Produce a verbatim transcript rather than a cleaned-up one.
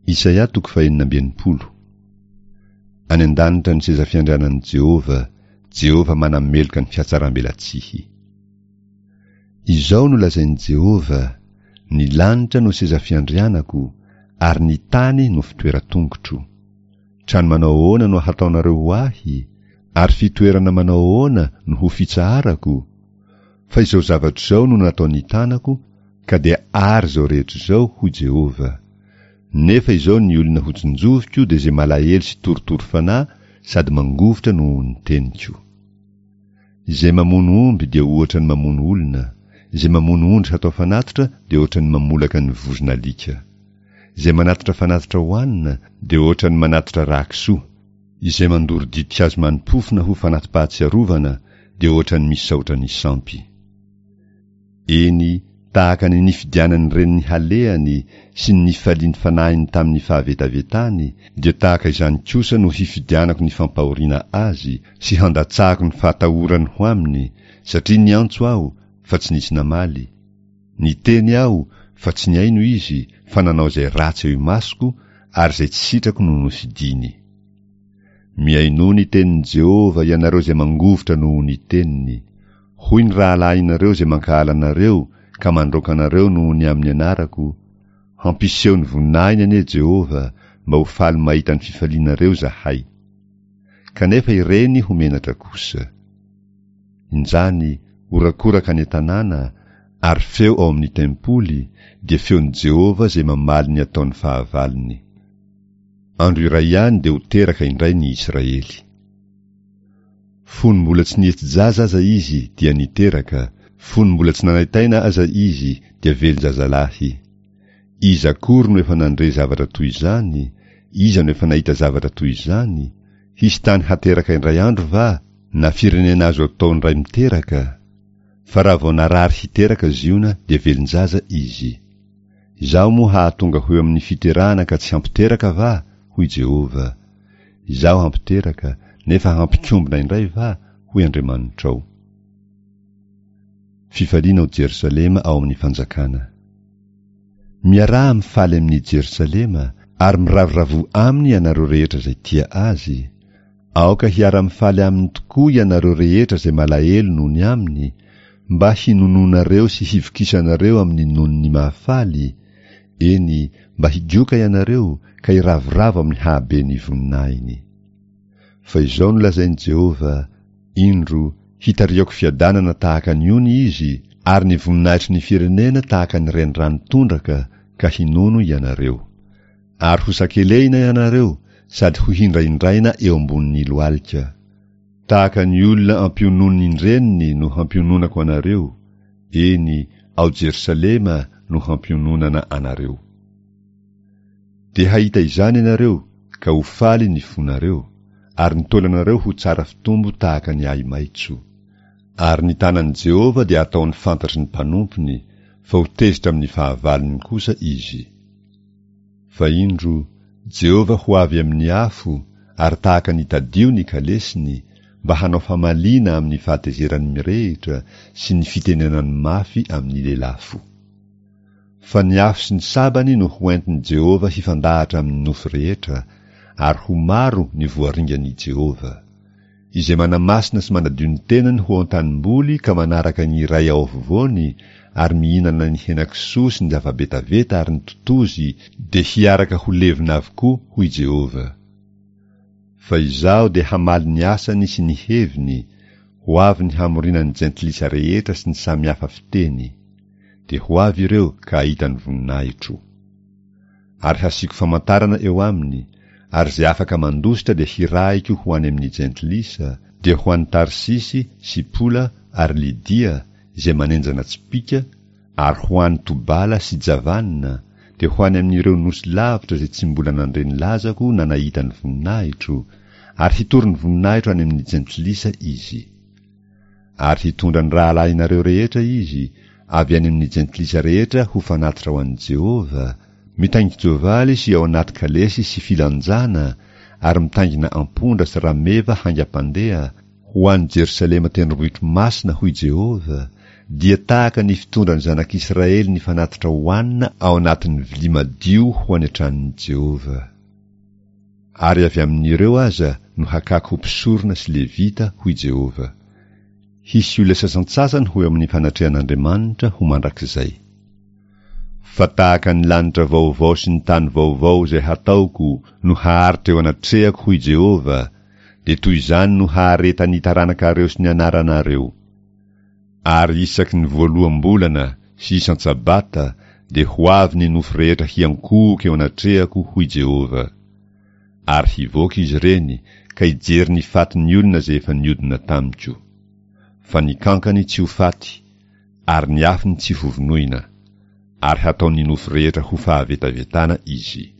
Isaia toko fahenina amby enimpolo. Any an-danitra ny seza fiandrianan'i Jehovah, Jehovah manameloka ny fihatsarambelatsihy. Izao no lazain'i Jehovah, ny lanitra no seza fiandrianako, ary ny tany no fitoeran-tongotro. Trano manao ahoana no hataonareo ho ahy, ary fitoerana manao ahoana no ho fitsaharako? Fa izao zavatra izao no nataon'ny tanako, ka dia ary izao rehetra izao, hoy Jehovah. Nefa izao ny olona hotsinjoviko dia izay malahelo sy torotoro fanahy sady mangovitra noho ny teniko. Izay mamono omby dia ohatra ny mamono olona, izay mamono ondry hatao fanatitra dia ohatra ny mamolaka ny vozon'alika. Izay manatitra fanatitra hohanina dia ohatra ny manatitra rà-kisoa. Izay mandoro ditin-kazo mani-pofona ho fanati-pahatsiarovana dia ohatra ny misaotra ny sampy. Eny, tahaka ny nifidianan'ny reniny halehany sy ny nifalian'ny fanahiny tamin'ny fahavetavetany, dia tahaka izany kosa no hifidianako ny fampahoriana azy sy handatsahako ny fahatahorany ho aminy, satria niantso aho, fa tsy nisy namaly. Niteny aho, fa tsy nihaino izy, fa nanao izay ratsy eo imasoko, ary izay tsy sitrako no nofidiny. Mihainoa ny tenin'i Jehovah ianareo izay mangovitra noho ny teniny. Hoy ny rahalahinareo izay mankahala anareo ka mandroaka anareo noho ny amin'ny anarako, hampiseho ny voninahiny anie Jehovah mba ho faly mahita ny fifalianareo izahay. Kanefa ireny ho menatra kosa. Injany, horakoraka any an-tanàna, ary feo ao amin'ny tempoly, dia feon'i Jehovah izay mamaly ny ataon'ny fahavalony. Andro iray ihany dia ho teraka indray ny Israely. Fony mbola tsy nihetsi-jaza aza izy dia niteraka, fony mbola tsy nanaitaina aza izy dia velon-jazalahy. Iza akory no efa nandre zavatra toy izany? Iza no efa nahita zavatra toy izany? Hisy tany hateraka indray andro va, na firenena azo atao indray miteraka? Fa raha vao narary hiteraka Ziona dia velon-jaza izy. Izaho moa hahatonga ho eo amin'ny fiterahana ka tsy hampiteraka va? Hoy Jehovah. Izaho hampiteraka, nefa hampikombona indray va? Hoy Andriamanitrao. Fifaliana ao Jerosalema ao amin'ny fanjakana. Miaraha mifaly amin'i Jerosalema, ary miravoravo aminy ianareo rehetra izay tia azy. Aoka hiara-mifaly aminy tokoa ianareo rehetra izay malahelo noho ny aminy, mba hinononareo sy hivokisanareo amin'ny nonony mahafaly, eny, mba higoka ianareo ka hiravoravo amin'ny hahaben'ny voninahiny. Fa izao no lazain'i Jehovah, indro, hitariako fiadanana tahaka ny ony izy, ary ny voninahitry ny firenena tahaka ny renirano tondraka, ka hinono ianareo. Ary ho sakelehina ianareo, sady ho hindrahindraina eo ambonin'ny lohalika. Tahaka ny olona ampiononin-dreniny no hampiononako anareo, eny, ao Jerosalema no hampiononana anareo. Dia hahita izany ianareo, ka ho faly ny fonareo, ary ny taolanareo ho tsara fitombo tahaka ny ahi-maitso. Ary ny tanan'i Jehovah dia ataony fantatry ny mpanompony, fa ho tezitra amin'ny fahavalony kosa izy. Fa indro, Jehovah ho avy amin'ny afo, ary tahaka ny tadio ny kalesiny, mba hanao famaliana amin'ny fahatezerany mirehitra sy ny fitenenany mafy amin'ny lelafo. Fa ny afo sy ny sabany no hoentin'i Jehovah hifandahatra amin'ny nofo rehetra, ary ho maro ny voaringan'i Jehovah. Izay manamasina sy manadio ny tenany ho an-tanimboly ka manaraka ny iray ao afovoany ary mihinana ny henakisoa sy ny zava-betaveta ary ny totozy dia hiaraka ho levona avokoa, hoy Jehovah. Fa izaho dia hamaly ny asany sy ny heviny, ho avy ny hamoriana ny jentilisa rehetra sy ny samihafa fiteny. Dia ho avy ireo ka hahita ny voninahitro. Ary hasiako famantarana eo aminy, ary izay afaka mandositra dia hirahiko ho any amin'ny jentilisa, dia ho any Tarsisy sy Pola ary Lydia, izay manenjana tsipìka, ary ho any Tobala sy Javana, dia ho any amin'ireo nosy lavitra izay tsy mbola nandre ny lazako na nahita ny voninahitro, ary hitory ny voninahitro any amin'ny jentilisa izy. Ary hitondra ny rahalahinareo rehetra izy, avy any amin'ny jentilisa rehetra ho fanatitra ho an'i Jehovah, mitaingin-tsoavaly sy ao anaty kalesy sy filanjana, ary mitaingina ampondra sy rameva haingam-pandeha, ho any Jerosalema tendrombohitro masina, hoy Jehovah, dia tahaka ny fitondran'ny zanak'Israely ny fanatitra hohanina ao anatin'ny vilia madio ho any an-tranon'i Jehovah. Ary avy amin'ireo aza no hakako ho mpisorona sy levita, hoy Jehovah. Hisy olona sasantsasany ho eo amin'ny fanatrehan'Andriamanitra ho mandrakizay. Fa tahaka ny lanitra vaovao sy ny tany vaovao izay hataoko no haharitra eo anatrehako, hoy Jehovah, dia toy izany no haharetan'ny taranakareo sy ny anaranareo. Ary isaky ny voaloham-bolana sy isan-tsabata dia ho avy ny nofo rehetra hiankohoka eo anatrehako, hoy Jehovah. Ary hivoaka izy ireny ka hijery ny fatin'ny olona izay efa niodina tamiko. Fa ny kankany tsy ho faty, ary ny afony tsy hovonoina, ary hataon'ny nofo rehetra ho fahavetavetana izy.